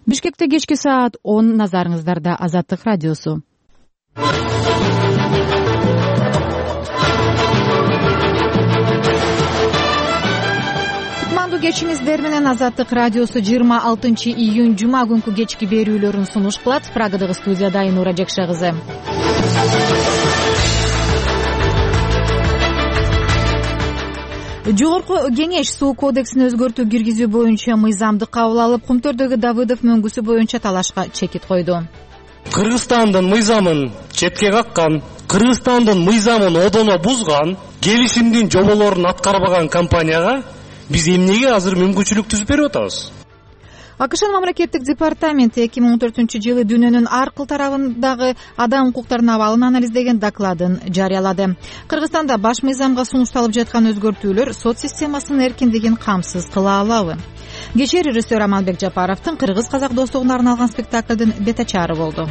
Бишкекте кечки саат 10, назарыңыздарда Азаттык радиосу. Кутмандуу кечиңиздер менен Азаттык радиосу 26 июнь жума күнкү кечки берүүлөрүн сунуш кылат. Прагадагы студияда Айнура Жекше кызы. Жогорку кеңеш суу кодексин өзгөртүү киргизүү боюнча мыйзамды кабыл алып, Кумтөрдөгү Давыдов мөңгүсү боюнча талашка чекит койду. Кыргызстандын мыйзамын четке каккан, Кыргызстандын мыйзамын одоно бузган, келишимдин жоболорун аткарбаган компанияга биз эмнеге азыр мүмкүнчүлүк түзүп берип атабыз? АКШнын мамлекеттик департаменти 2014-жылы дүйнөнүн ар кыл тарабындагы адам укуктарынын абалын анализдеген докладын жарыялады. Кыргызстанда баш мыйзамга сунушталып жаткан өзгөртүүлөр сот системасынын эркиндигин камсыз кыла алабы? Кечээ режиссер Амалбек Жапаровдун кыргыз-казак достугуна арналган спектаклдын бетачары болду.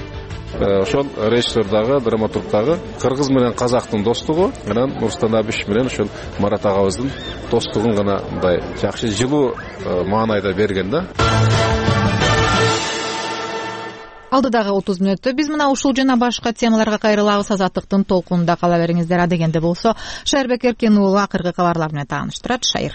Ошол режиссер дагы, драматург дагы кыргыз менен казактын достугу, анан Нурстан Абиш менен ошол Марат агабыздын достугун гана мындай жакшы жылуу маанайда берген да. Алдыдагы 30 мүнөттө биз мына ушул жана башка темаларга кайрылабыз. Азаттыктын толкунунда кала бериңиздер. Адегенде болсо Шайырбек Эркен уулу акыркы кабарлар менен тааныштырат. Шайыр.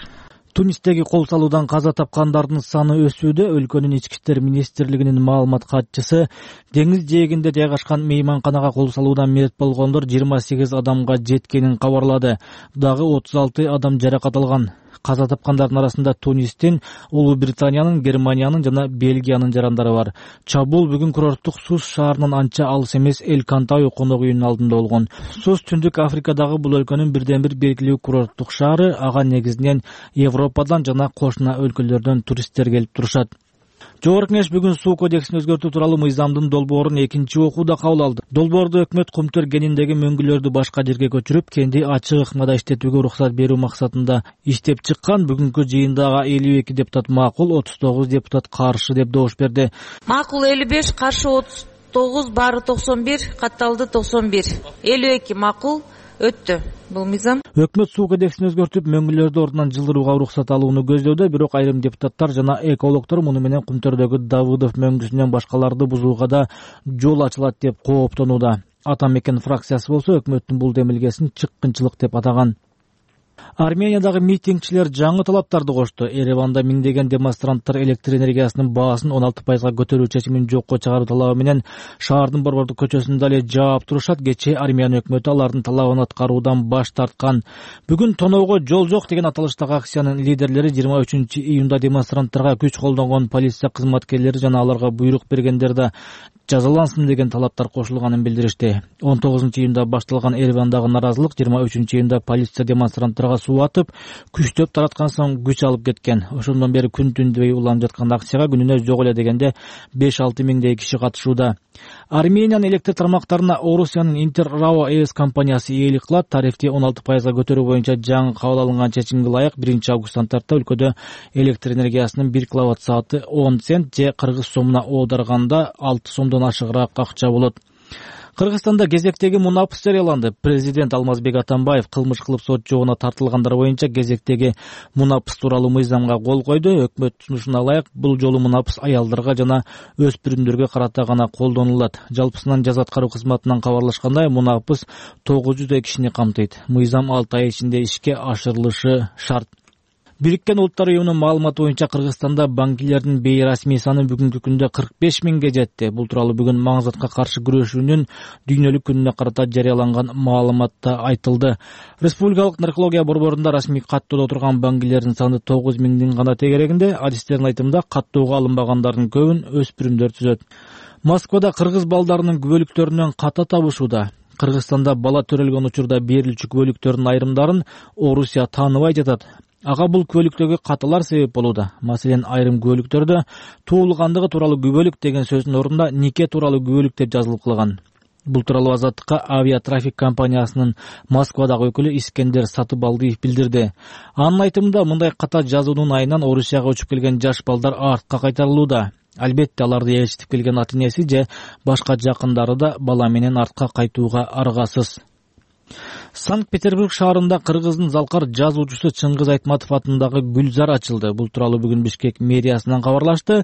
Тунистеги кол салуудан каза тапкандардын саны өсүүдө. Өлкөнүн ички иштер министрлигинин маалымат катчысы деңиз жээгинде жайгашкан мейманканага кол салуудан мерт болгондор 28 адамга жеткенин кабарлады. Дагы 36 адам жаракат алган. Каза тапкандардын арасында Тунистин, Улуу Британиянын, Германиянын жана Бельгиянын жарандары бар. Чабуул бүгүн курорттук Сус шаарынын анча алыс эмес Эль-Кантаю конок үйүнүн алдында болгон. Сус Түндүк Африкадагы бул өлкөнүн бирден бир белгилүү курорттук шаары. Ага негизинен Европадан жана кошуна өлкөлөрдөн туристтер келип турушат. Жогорку кеңеш бүгүн суу кодексин өзгөртүү тууралуу мыйзамдын долбоорун экинчи окууда кабыл алды. Долбоорду өкмөт Кумтөр кениндеги мөңгүлөрдү башка жерге көчүрүп, кенди ачык ыкмада иштетүүгө уруксат берүү максатында иштеп чыккан. Бүгүнкү жыйындагы 52 депутат макул, 39 депутат каршы деп добуш берди. Макул 55, каршы 39, баары 91, катталды 91. 52 макул өттү бул мыйзам. Өкмөт суу кодексин өзгөртүп, мөңгүлөрдү ордунан жылдырууга уруксат алууну көздөдө, бирок айрым депутаттар жана экологдор муну менен Кумтөрдөгү Давыдов мөңгүсүнөн башкаларды бузууга да жол ачылат деп кооптонууда. Ата мекен фракциясы болсо өкмөттүн бул демилгесин чыккынчылык деп атаган. Армениядагы митингчилер жаңы талаптарды кошту. Ереванда миңдеген демонстранттар электр энергиясынын баасын 16%га көтөрүү чечимин жокко чыгаруу талабы менен шаардын борбордук көчөсүндө эле жаап турушат. Кечээ Армян өкмөтү алардын талабын аткаруудан баш тарткан. Бүгүн тоноого жол жок деген аталыштагы акциянын лидерлери 23 июнда демонстранттарга күч колдонгон полиция кызматкерлери жана аларга буйрук бергендер да жазалансын деген талаптар кошулганын билдиришти. 19 июнда башталган Еревандагы наразылык 23 июнда полиция демонстранттарга суу атып, күчтөп тараткан соң күч алып кеткен. Ошондон бери күн түндүбөй уланып жаткан акцияга күнүнө жок эле дегенде 5-6 миңдей киши катышууда. Армениянын электр тармактарына Орусиянын Интер Рао ЭС компаниясы ээлик кылат. Тарифти 16%га көтөрүү боюнча жаңы кабыл алынган чечимге ылайык 1 августтан тарта өлкөдө электр энергиясынын 1 киловатт сааты 10 цент же кыргыз сомуна оодарганда 6 сомдон ашыгыраак акча болот. Кыргызстанда кезектеги мунапыс жарыяланды. Президент Алмазбек Атамбаев кылмыш кылып сот жоогуна тартылгандар боюнча кезектеги мунапыс тууралуу мыйзамга кол койду. Өкмөт сунушуна ылайык бул жолу мунапыс аялдарга жана өспүрүмдөргө карата гана колдонулат. Жалпысынан жаза аткаруу кызматынан кабарлашкандай, мунапыс 900 кишини камтыйт. Мыйзам 6 ай ичинде ишке ашырылышы шарт. Бириккен Улуттар уюмунун маалыматы боюнча Кыргызстанда банкилердин бейрасмий саны бүгүнкү күндө 45 миңге жетти. Бул тууралуу бүгүн маңзатка каршы күрөшүүнүн дүйнөлүк күнүнө карата жарыяланган маалыматта айтылды. Республикалык наркология борборунда расмий каттоодо турган банкилердин саны 9 миңдин гана тегерегинде. Адистердин айтымында каттоого алынбагандардын көбүн өспүрүмдөр түзөт. Москвада кыргыз балдарынын күбөлүктөрүнөн ката табышууда. Кыргызстанда бала төрөлгөн учурда берилүүчү күбөлүктөрдүн айрымдарын Орусия тааныбай жатат. Ага бул күбөлүктөгү каталар себеп болууда. Маселен, айрым күбөлүктөрдө туулгандыгы тууралуу күбөлүк деген сөздүн ордунда нике тууралуу күбөлүк деп жазылып калган. Бул тууралуу Азаттыкка авиатрафик компаниясынын Москвадагы өкүлү Искендер Сатыбалдиев билдирди. Анын айтымында мындай ката жазуунун айынан Орусияга учуп келген жаш балдар артка кайтарылууда. Албетте аларды ээрчитип келген ата-энеси же башка жакындары да бала менен артка кайтууга аргасыз. Санкт-Петербург шаарында кыргыздын залкар жазуучусу Чыңгыз Айтматов атындагы Гүлзар ачылды. Бул тууралуу бүгүн Бишкек мэриясынан кабарлашты.